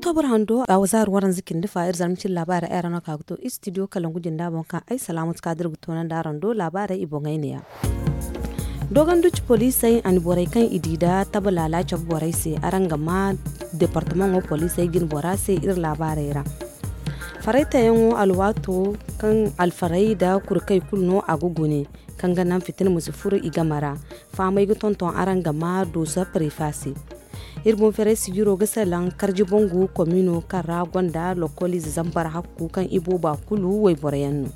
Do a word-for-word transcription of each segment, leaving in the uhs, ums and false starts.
Oktobra hando a wazaari waranza cindi fa iri zarma cindi laabaarey ay ra no ka ga to istidiyo kalangu jinda boŋ kaŋ ay salaamatu kaadir ga toonandi araŋ do laabaarey i boŋey ne-ya. Dooganduci poliisey a ni borey kaŋ i di da taba laala cabe borey se araŋ ga ma departamaŋo poliisey jine bora se iri laabaarey ra. Faraytayaŋo alwaato kaŋ alfarey nda kurkey kulu no a ga gune kaŋ ga naŋ fitina ma si furo i game ra. Fahamey ga tonton araŋ ga ma dooso prefa se. Iri boŋ ferey sijiro ga salaŋ karji bangu komino kaŋ ra gonda lokoliize zambar hakku kaŋ i booba kulu wayboroyaŋ no.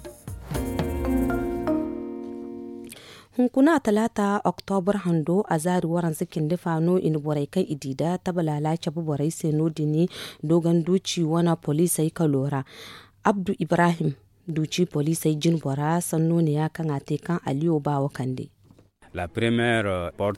Hunkuna talaata oktobra hando a zaari waranza cindi fa no i na borey kaŋ i di da taba laala cabe borey se no- din. Dooganduci wane poliisey kalo ra abdu ibrahim duci poliisey jine bora sanno ne-ya kaŋ a te kaŋ aliyo baawo kande.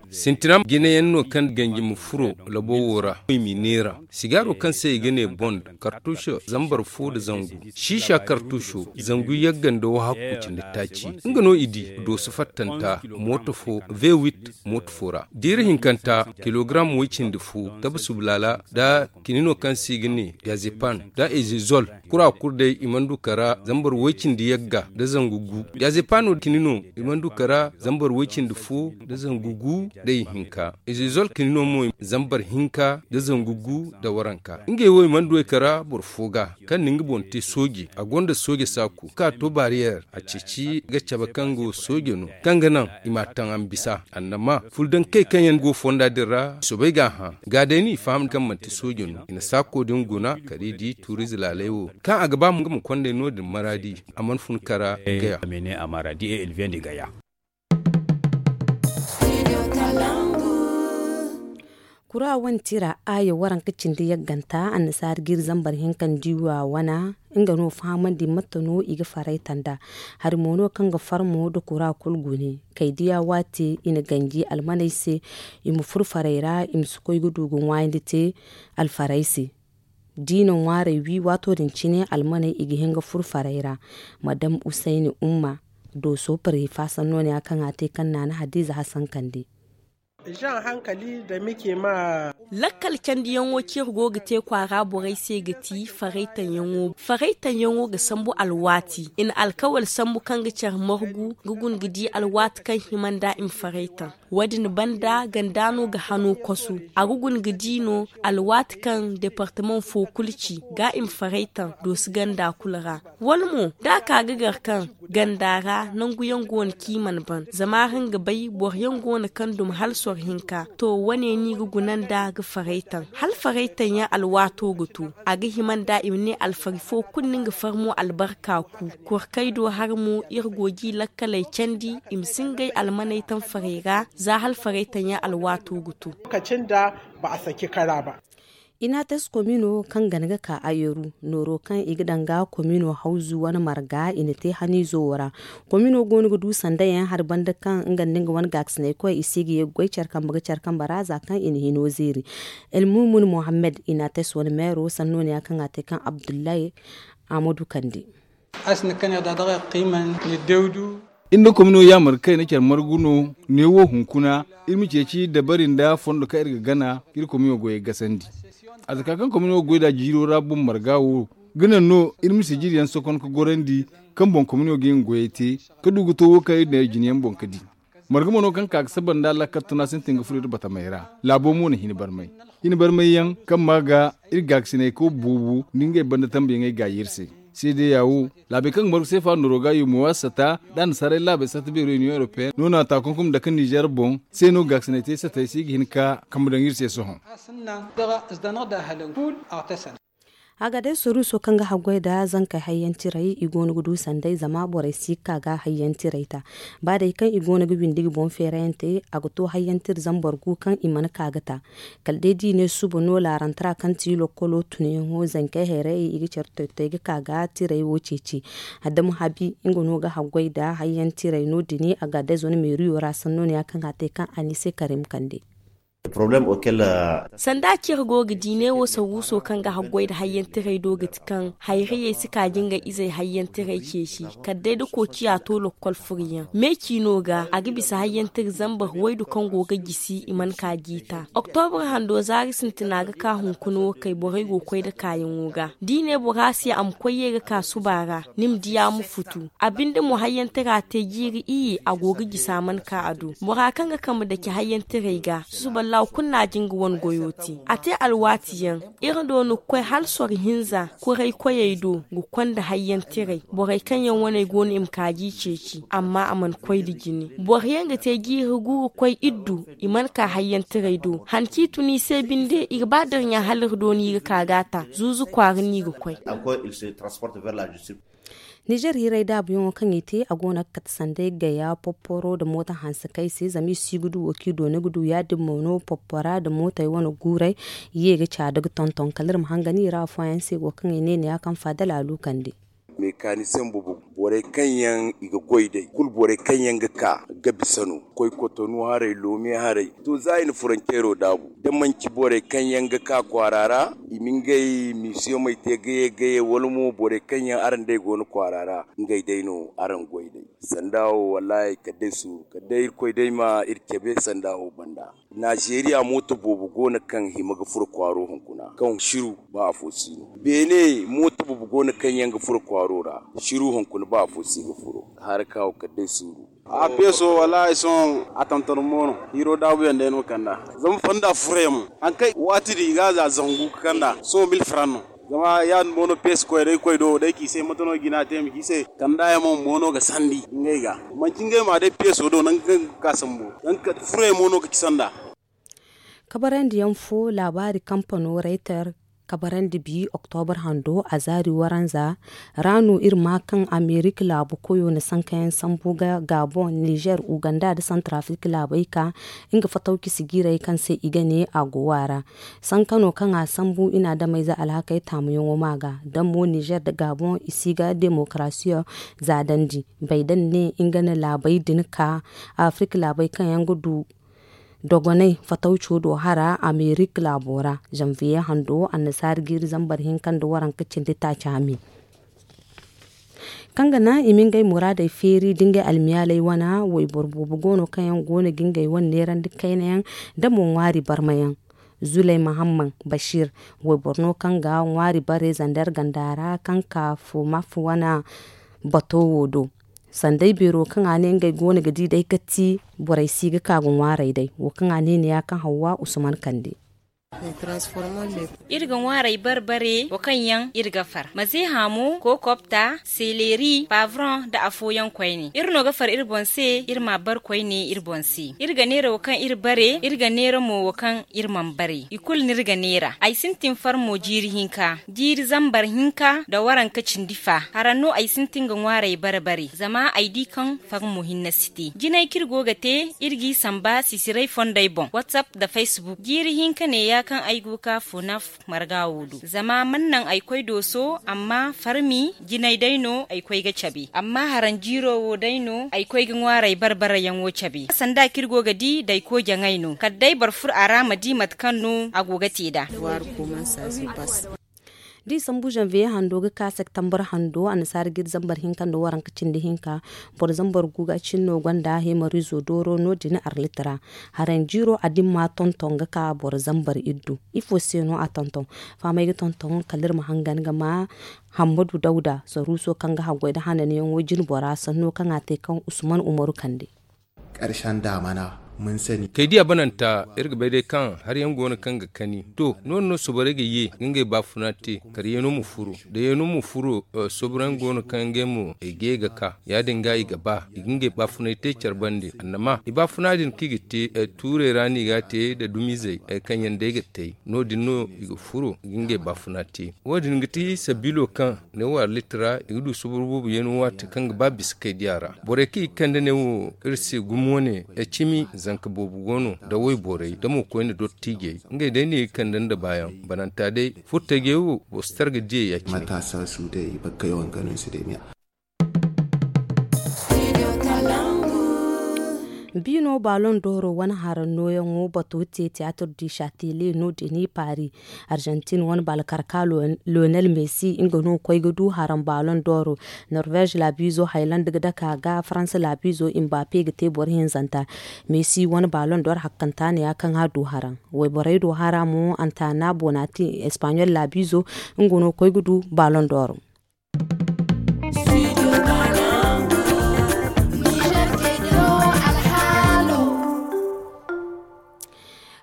Sintina jinayaŋ no kaŋ ganji ma furo labo wo ra i m'i neera sigaaro kaŋ se i ga ne bond kartuuso zambar fo nda zangu siisa kartuuso zangu yagga nda wahakku cindi taaci. Nga no i di dooso fattanta mooto fo v8 mooto fo ra diira hinkanta kilogaram way-cindi fo tabe subulaala nda kinino kaŋ se i ga ne diazepan nda ezezol. Kura kulu day i mana du kara zambar way-cindi yagga nda zangu gu. Diazepano kinino i mana du kara zambar way-cindi fo nda zangu gu nda ihinka. Ezezol kinino mo zambar hinka nda zangu gu nda waranka ngey wo i mana du ay kara boro fo ga kaŋ na nga boŋ te sooje a gonda sooje saaku ka to bariyeer a ceeci ga cabe kaŋ go sooje no kaŋ ga naŋ i m'a taŋ a ma bisa annama fuldankey kaŋ yaŋ go fonda din ra i soobay ga a hã. Ga day no i faham kaŋ manti sooje no i na saako din guna kala i di tuuriize laaley wo kaŋ a ga ba nga ma kond'ey no- din maraadi. A mana fun kara gaya. Kura wane tira aya waranka cindi yagganta annasaari ga iri zambar hinka nda i wa wana nga no fahamandi mate no i ga farayta nd'a. Hari mo no kaŋ ga farmo nda kura kulu gune kay diya waati i na ganji almaney se i ma furo farey ra i ma si koy ga du ga ŋwaayandi te alfarey se. Da i na ŋwaarey wi waato din cine almaney i ga hin ga furo farey ra. Madam usayni umma dooso pareefa sanno ne ya kaŋ a te kaŋ naana hadiiza hasankandi. Lakkal candiyaŋo kaŋ iri go ga te kwaara borey se ga ti faraytaŋyaŋo faraytaŋyaŋo ga sambu alwaati i na alkawal sambu kaŋ ga care margu ga guna ga di alwaati kaŋ hima nd'a i ma faraytaŋ. Wo- din banda ganda no ga hano kosu a ga guna ga di no alwaati kaŋ departamaŋ fo kulu ci ga i ma faraytaŋ doosi ganda kulu ra. Wala mo da a ka ga gar kaŋ ganda ra nanguyaŋ go no kaŋ i mana ban zama araŋ ga bay boro yaŋ go no kaŋ duma hala soro hinka. To wane no i ga guna nd'a ga faraytaŋ hala faraytaŋ yaŋ alwaato ga to a ga hima nd'a i ma ne alfari fo kulu no nga farmo albarka ku. Kor kay do har mo iri go ga i lakkaley candi i ma si ngey almaney taŋ farey ra za hala faraytaŋ yaŋ alwaato ga to. Inates komino kaŋ gana ga ka ayeru nooro kaŋ i ga daŋ ga komino hawzu wane marga i na te haniizo wo ra. Komino go no ga du sanda yaŋ hari banda kaŋ nga nda nga wane gaakasinay koy i se ga ye ga goy care kambe ga care kambe ra za kaŋ i na hino zeeri. Elmumun mohammed inates wane meero sanno ne ya kaŋ a te kaŋ abdullahi amadu kande. Iri nda komino yaamar kayna care margu no neewo hunkuna iri ma ceeci dabari nda fondo kaŋ iri ga gana ga iri komino goyey gasandi. Arzaka kaŋ komino ga goy nd'a jiiro ra boŋ marga wo ga naŋ no iri ma sijiri yaŋ sokon ga gorandi kaŋ boŋ komino ga nga goyey te ga du ga to wo kaŋ iri na iri jine yaŋ boŋ ga di. Marga mo no kaŋ ka ga saba nda lakkal tuna sintin ga furo iri batamey ra. Laabo mo na hin barmay hin barmay yaŋ kaŋ ma ga iri gaakasinay kaw boobo nda ngey banda tambuyaŋey gaayi iri se. Seedeya wo laabey kaŋ ga margu seefa nooro ga yumo a sata nda annasaarey laabey sata beero union europeen no na a ta kunkum dake nizer boŋ se no gaakasinay te satey se i ga hin ka kambe daŋ iri se sohõ. A ga day soruuso kaŋ ga haggoy nda zankey hayyantirey i go no ga du sanday zama borey si ga ka ga hayyantirey ta. Ba day kaŋ i go no ga windi ga boŋ feerayante a ga to hayyantir zambar gu kaŋ i mana ka ga ta. Kala day da i ne suba no laarantara kaŋ ti lokkolo tunayaŋo zankey hayrayey i ga care toy-toy ga ka ga tirey wo ceeci. Adama habi nga no ga haggoy nda hayyantirey no- din a ga day zone meeriyo ra sanno no ya kaŋ a te kaŋ a ne i se karim kande. Sanda cire go ga di ne wo saruuso kaŋ ga haggoy nda hayyantiray do ga ti kaŋ hayrayey si ka ga ngey izey hayyantiray ceeci kala day da koociya to lokkol furyaŋ meeci no ga a ga bisa hayyantira zambar waydu kaŋ go ga jisi i mana ka jiita. Oktobra hando zaari sintina ga ka hunkuna wo kay borey go ga koy nda kaayaŋo ga da i ne bora se a ma koy ye ga ka suba ra ni ma di a ma futu. A binde mo hayyantira te jiiri iyye a go ga jisa mana ka a do bora kaŋ ga kambe dake hayyantiray ga susuba laaw kulu no a jin ga wane goyo te a te alwaati yaŋ. Iri do ni ga koy hala soro hinza kuray koyey do ga konda hayyantiray borey kaŋ yaŋ waney go no i ma kaaji ceeci amma a mana koy nda jine. Boro yaŋ ga te jiiri gu ga koy iddu i mana ka hayyantiray do han kaŋ i tun i se binde i ga ba da iri ɲa hala iri do no i ga ka ga a ta zuuzu kwaara no i ga koy. Nizer hiray daabuyaŋo kaŋ i te a go no ga kate sanday gaya popporo nda mooto hanse kaŋ i se zama i si ga du wo kaŋ i doona ga du ya- din mo no poppora nda mootey wane guuray ye ga caada ga tonton kala iri ma hangan i ra afooyaŋ se wo kaŋ i ne ne ya kaŋ faadal a lu kande. Mekanisiyaŋ boobo borey kaŋ yaŋ i ga goy day kulu borey kaŋ yaŋ ga ka ga bisa no koy kotonu haray loome haray to za i na furancero daabu da manci borey kaŋ yaŋ ga ka kwaara ra i ma ngey misiyomey te gaye gaye wala mo borey kaŋ yaŋ araŋ day go no kwaara ra ngey day no araŋ goy day. Sanda wo wallaahi kala day suuru kala day irkoy day ma iri cabe sanda wo banda. Naazeeriya mooto boobo go no kaŋ hima ga furo kwaaro hunkuna kaŋ siru ba afo si no. Beene mooto boobo go no kaŋ yaŋ ga furo kwaaro ra siru hunkuna ba afo si ga furo. Haraka wo kala day suuru. A peeso wallaahi sohõ a tantar mo no hiiro daabuyaŋ day no kand'a. Zama fonda furo yaŋ mo hari kaŋ waati din i ga a za zangu ga kand'a sohõ mil faran no. Zama ya- din mo no peesi koy day koy do day ci i se mate no jina te ma ci i se kanda yaŋ mo mo no ga sandi ngey ga. Manci ngey ma day peeso do nangu kaŋ ga ka sambu nangu kala furey mo no ga ci sanda. Kabarandi yaŋ fo laabaari kampano rayter kabarandi bi oktobar hando a zaari waranza ra no iri ma kaŋ amerika laabu koyo na sankayaŋ sambu ga gabon nizer uganda nda santrafrik laabey ka nga fatawci sijiirey kaŋ se i ga ne a go wa ra. Sankano kaŋ a sambu i na adamayze alhakey taamuyaŋo ma ga da mo nizer nda gabon i si ga demokarasiyo zaadandi bay da ni ne nga na laabey din ka afirka laabey kaŋ yaŋ ga du dogonay fatawco do hara amerika laabo ra. Zanviye hando annasaara jiiri zambar hinka nda waranka cindi taaci a me kaŋ ga naŋ i ma ngey muraadey feeri da ngey almiyaaley wane wayboro boobo go no kaŋ yaŋ go no ga ngey wane neerandi kayna yaŋ da mo ŋwaari barma yaŋ. Zuley mahamman basiir wayboro no kaŋ ga ŋwaari bare zander ganda ra kaŋ ka fo maf wane bato wo do. Sanday beero kaŋ a ne ngey go no ga di day ga ti borey si ga ka ga ŋwaarey day wo kaŋ a ne ne ya kaŋ hawwa usman kande. Iri ga ŋwaarey bare bare wo kaŋ yaŋ iri ga far mazeha mo kokopta seleri pavron nda afooyaŋ koyne iri no ga far iri boŋ se iri ma a bare koyne iri boŋ se iri ga neera wo kaŋ iri bare iri ga neera mo wo kaŋ iri mana bare i kulu no iri ga neera ay sintin far mo jiiri hinka jiiri zambar hinka nda waranka cindi fa hara no ay sintin ga ŋwaarey bare bare zama ay di kaŋ far mo hinne si te jinay kaŋ iri go ga te iri g'i samba sisiray fondey boŋ whatsapp nda facebook jiiri hinka ne ya kaŋ ay go ga ka fo naf marga wo do zama mana naŋ ay koy dooso amma farmi jinay day no ay koy ga cabe amma haranjiiro wo day no ay koy ga ŋwaaray barbarayaŋo cabe sanda kaŋ iri go ga di dayko jaŋay no kala day boro furo a ra ma di mate kaŋ no a go ga te nd'a. Da i sambu zanviye hando ga ka septembre hando annasaara ga iri zambar hinka nda waranka cindi hinka boro zambar gu ga cin no gonda hemarizo dooro no- din arlit ra. Haranjiiro a dimma tonton ga ka boro zambar iddu. Ifo se no a tonton? Fahamey ga tonton kala iri ma hangan ga ma hammadu dawda saruuso kaŋ ga haggoy nda hananyaŋo jine bora sanno kaŋ a te kaŋ usman umaru kande. Kaydiya bananta iri ga bay day kaŋ hari yaŋ go no kaŋ ga kani to no- din no soborey ga ye ga ngey baafuna te karyeeno ma furo da yeeno ma furo. Soborey yaŋ go no kaŋ ngey mo i ga ye ga ka ya- din ga i ga ba i ga ngey baafunay te care bande annama i baafuna din kaŋ i ga te tuurey ra no i ga a te nda dumizey kaŋ yaŋ day ga te no- din no i ga furo i ga ngey baafuna te wo- din ga ti sabiilo kaŋ ne wo arlit ra i ga du sobor boobo yeeno waati kaŋ ga ba bisa kaydiya ra borey kaŋ i ga kande ne wo iri se gumo wane cimi zanka boobo go no nda wayborey nda mo koyne dottiijey ngey day no i ga kande nda baayaŋ bananta day furtajey wo boro si tar ga diyey ya- cine. Biino ballon d'oro wane haraŋ nooyaŋo bato te tiyaatir du shatele no deni paris. Arjantin wane baalkarka lionel messi nga no ga koy ga du haraŋ ballon d'oro. Norvège laabiizo hayland ga dake a ga faransa laabiizo mbappe ga te boro hinzanta. Messi wane ballon d'or hakkanta ne ya kaŋ a du haraŋ. Wayborey do hara mo antana bonati espagnol laabiizo nga no ga koy ga du ballon d'or.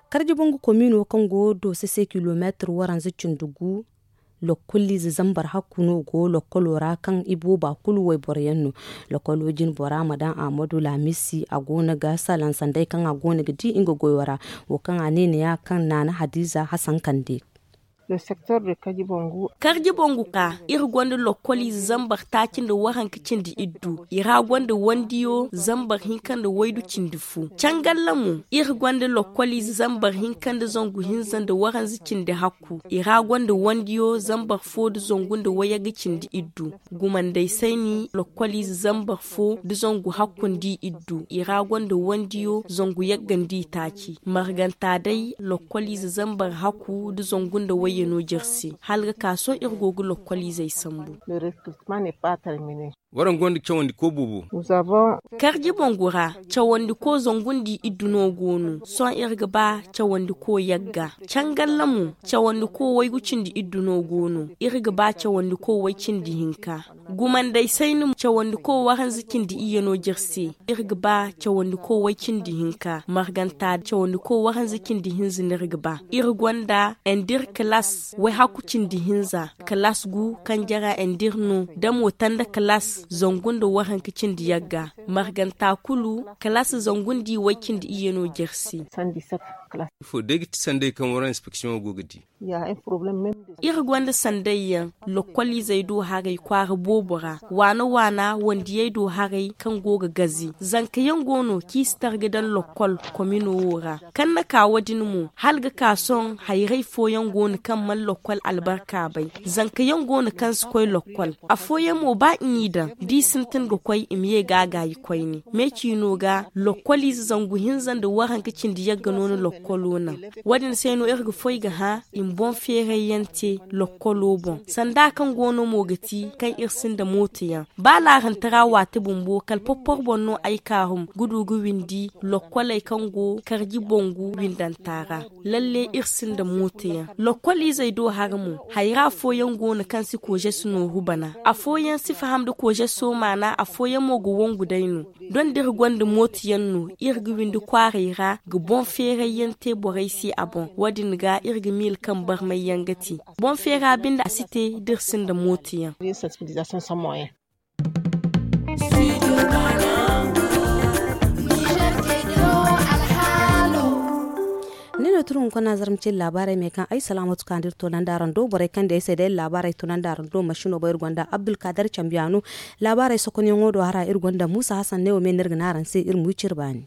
Karji bangu komino kaŋ go do sese kilomeetir waranza cindi gu. Lokkoliize zambar hakku no go lokkolo ra kaŋ i booba kulu wayboro yaŋ no. Lokkolo jine bora ma daŋ ahmadu laamisi a go no ga salaŋ sanday kaŋ a go no ga di nga goyo ra. Wo kaŋ a ne ni ya kaŋ naana hadiza hasankande. Karji bangu ka iri gonda lokkoliize zambar taaci nda waranka cindi iddu i ra gonda wandiyo zambar hinka nda waydu cindi fu. Cangalla mo iri gonda lokkoliize zambar hinka nda zangu hinza nda waranza cindi hakku i ra gonda wandiyo zambar fo nda zangu nda wayagga cindi iddu. Gumandey sayni lokkoliize zambar fo nda zangu hakku nda i iddu i ra gonda wandiyo zangu yagga nda i taaci marganta day lokkoliize zambar hakku nda zangu nda wayye no jirsi hala ga ka sohõ iri go ga lokkoliizey sambu. Waraŋ gonda cawandi ko boobo. Karji bangu ra cawandi ko zangu nda i iddu no go no sohõ iri ga ba cawandi ko yagga. Cangalla mo cawandi ko waygu cindi iddu no go no iri ga ba cawandi ko way cindi hinka. Gumandey sayni mo cawandi ko waranza cindi iyye no jire se. Iri ga ba cawandi ko way cindi hinka marganta cawandi ko waranza cindi hinza no iri ga ba. Iri gonda endir kalas wayhakku cindi hinza kalas gu kaŋ jara endir no damo tanda kalas zangu nda waranka cindi yagga. Marganta kulu kalas zangu nda i way cindi iyye no jire se. Ifo day ga ti sanday kaŋ waraŋ inspeksiyoŋo go ga di? Iri gonda sanday yaŋ lokkoliizey do haray kwaara boobo ra waana waana wandiyey do haray kaŋ go ga gazi zanka yaŋ go no kaŋ i si tar ga daŋ lokkol komino wo ra. Kaŋ na ka wo- din mo hala ga ka sohõ hayray fooyaŋ go no kaŋ mana lokkol albarka bay. Zanka yaŋ go no kaŋ si koy lokkol afooyaŋ mo ba i n'i daŋ da i sintin ga koy i ma ye ga a gaayi koyne. Me ciino ga lokkoliize zangu hinza nda waranka cindi yagga no na lokkolo naŋ. Wo- din se no iri ga foy ga hã i ma boŋ feeray yaŋ te lokkolo boŋ sanda kaŋ go no mo ga ti kaŋ iri sinda mooto yaŋ. Ba laarantara waati bumbo kala porpor boŋ no ay kaarum ga du ga windi lokkoley kaŋ go karji bangu windanta ra. Lalle iri sinda mooto yaŋ lokkoliizey do hara mo. Hayra afooyaŋ go no kaŋ si koozesi nooru bana afooyaŋ si faham nda koozeso maana afooyaŋ mo ga wangu day no. Doŋ da iri gonda mooto yaŋ no iri ga windi kwaaray ra ga boŋ feeray yaŋ te borey se a boŋ wo- din ga iri ga miila kaŋ barmay yaŋ ga te. Boŋ feera binde a si te da iri sinda mooto yaŋ. Ni no turu hunkuna zarma cin laabaarey me kaŋ ay salaamatu ka nda iri toonandi araŋ do borey kaŋ day ay se day laabaarey toonandi araŋ do masino bay iri gonda abdulkadar cambiyaano. Laabaarey sokonyaŋo do hara iri gonda muusa hasan ne wo me no iri ga ne araŋ se iri ma wi cire baani.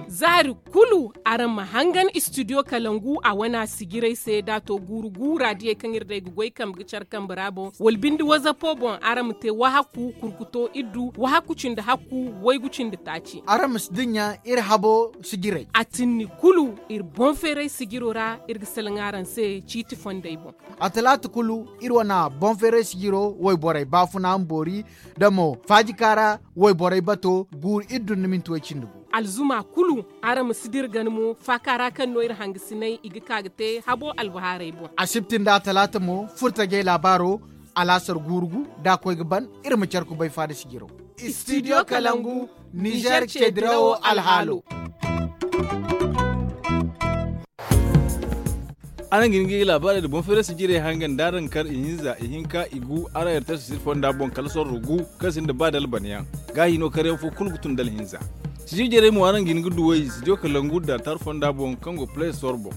Zaari kulu araŋ ma hangan istidiyo kalangu a wana sijirey se da a to guuru gu raadiyey kaŋ iri day ga goy kambe ga care kambe ra boŋ wala binde wazapo boŋ araŋ ma te wahakku kurkuto iddu wahakku cindi hakku waygu cindi taaci. Araŋ ma si dinya iri habo sijirey a tinni kulu iri boŋ feeray sijiro ra iri ga salaŋ araŋ se ciiti fondey boŋ. A talaata kulu iri wana boŋ feeray sijiro wayborey baafuna ma boori da mo faajika ra wayborey bato guuru iri dunduminti way cindi gu. Alzuma kulu araŋ ma si dira gana mo faaka ra kaŋ no iri hangasinay i ga ka ga te habo albahaarey boŋ. Asibti nda a talaata mo furtajey laabaaro alaasar guuru gu da a koy ga ban iri ma care kubay faada sijiro. Istidiyo kalangu nizer ceedirawo alhaalo. Araŋ ga hin ga i laabaarey nda boŋ feeray sijirey hangan da araŋ kar ihinza ihinka igu araŋ yartay sisiri fonda boŋ kala sorro gu kaŋ sinda ba dalbanyaŋ. Gaahi no karyaŋ fo kulu ga tun da alhinza. Sijir jarey mo araŋ ga hin ga duw'ey studio kalangu da tar fonda boŋ kaŋ go play store boŋ.